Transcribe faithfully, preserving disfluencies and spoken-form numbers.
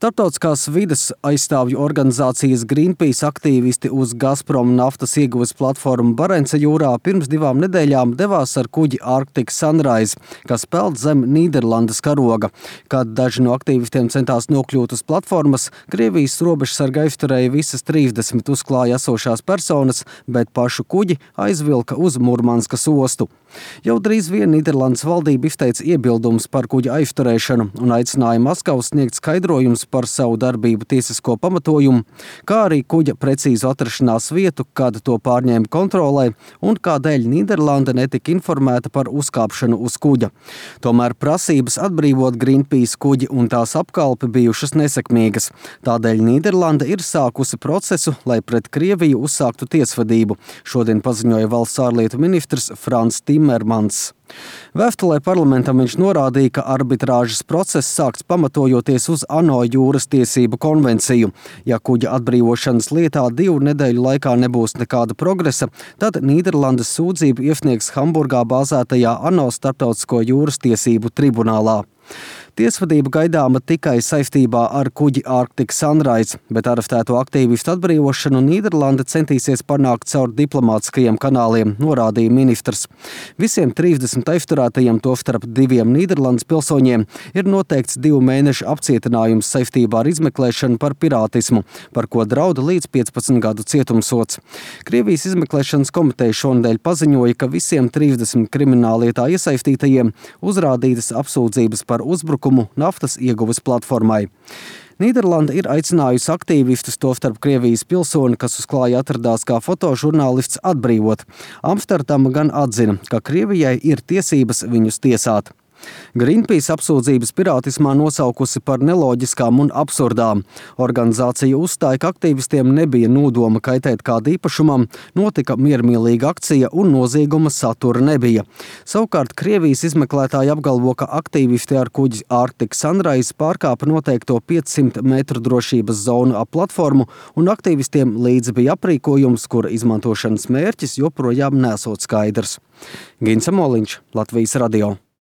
Starptautiskās vides aizstāvju organizācijas Greenpeace aktīvisti uz Gazprom naftas ieguves platformu Barenca jūrā pirms divām nedēļām devās ar kuģi Arctic Sunrise, kas peld zem Nīderlandes karoga. Kad daži no aktīvistiem centās nokļūt uz platformas, Krievijas robežsarga aizturēja visas trīsdesmit uzklāja esošās personas, bet pašu kuģi aizvilka uz Murmanskas ostu. Jau drīz vien Nīderlandes valdība izteica iebildumus par kuģa aizturēšanu un aicināja Maskavu sniegt skaidrojumus par savu darbību tiesisko pamatojumu, kā arī kuģa precīzu atrašanās vietu, kad to pārņēma kontrolē un kādēļ Nīderlanda netika informēta par uzkāpšanu uz kuģa. Tomēr prasības atbrīvot Greenpeace kuģi un tās apkalpi bijušas nesekmīgas. Tādēļ Nīderlanda ir sākusi procesu, lai pret Krieviju uzsāktu tiesvedību. Šodien paziņoja valsts ārlietu ministrs Frans Timmermans. Vēstulē parlamentam viņš norādīja, ka arbitrāžas process sākts pamatojoties uz ANO jūras tiesību konvenciju. Ja kuģa atbrīvošanas lietā divu nedēļu laikā nebūs nekāda progresa, tad Nīderlandes sūdzību iesniegs Hamburgā bāzētajā ANO starptautisko jūras tiesību tribunālā. Tiesvedība gaidāma tikai saistībā ar kuģi Arctic Sunrise, bet arestēto aktīvistu atbrīvošanu Nīderlande centīsies panākt caur diplomātiskajiem kanāliem, norādīja ministrs. Visiem trīsdesmit aizturētajiem, tostarp diviem Nīderlandes pilsoņiem, ir noteikts divu mēnešu apcietinājums saistībā ar izmeklēšanu par pirātismu, par ko drauda līdz piecpadsmit gadu cietumsods. Krievijas izmeklēšanas komiteja šonedēļ paziņoja, ka visiem trīsdesmit krimināllietā iesaistītajiem uzrādītas apsūdzības par uzbrukumu naftas ieguves platformai. Nīderlanda ir aicinājusi aktīvistus, tostarp Krievijas pilsoni, kas uz klāja atradās kā fotožurnālists, atbrīvot. Amsterdama gan atzina, ka Krievijai ir tiesības viņus tiesāt. Greenpeace apsūdzības pirātismā nosaukusi par neloģiskām un absurdām. Organizācija uzstāja, ka aktīvistiem nebija nodoma kaitēt kādu īpašumam, notika miermīlīga akcija un nozieguma satura nebija. Savukārt Krievijas izmeklētāji apgalvo, ka aktīvisti ar kuģi Arctic Sunrise pārkāpa noteikto piecsimt metru drošības zonu ap platformu, un aktīvistiem līdzi bija aprīkojums, kura izmantošanas mērķis joprojām nesot skaidrs. Gins Amoliņš, Latvijas radio.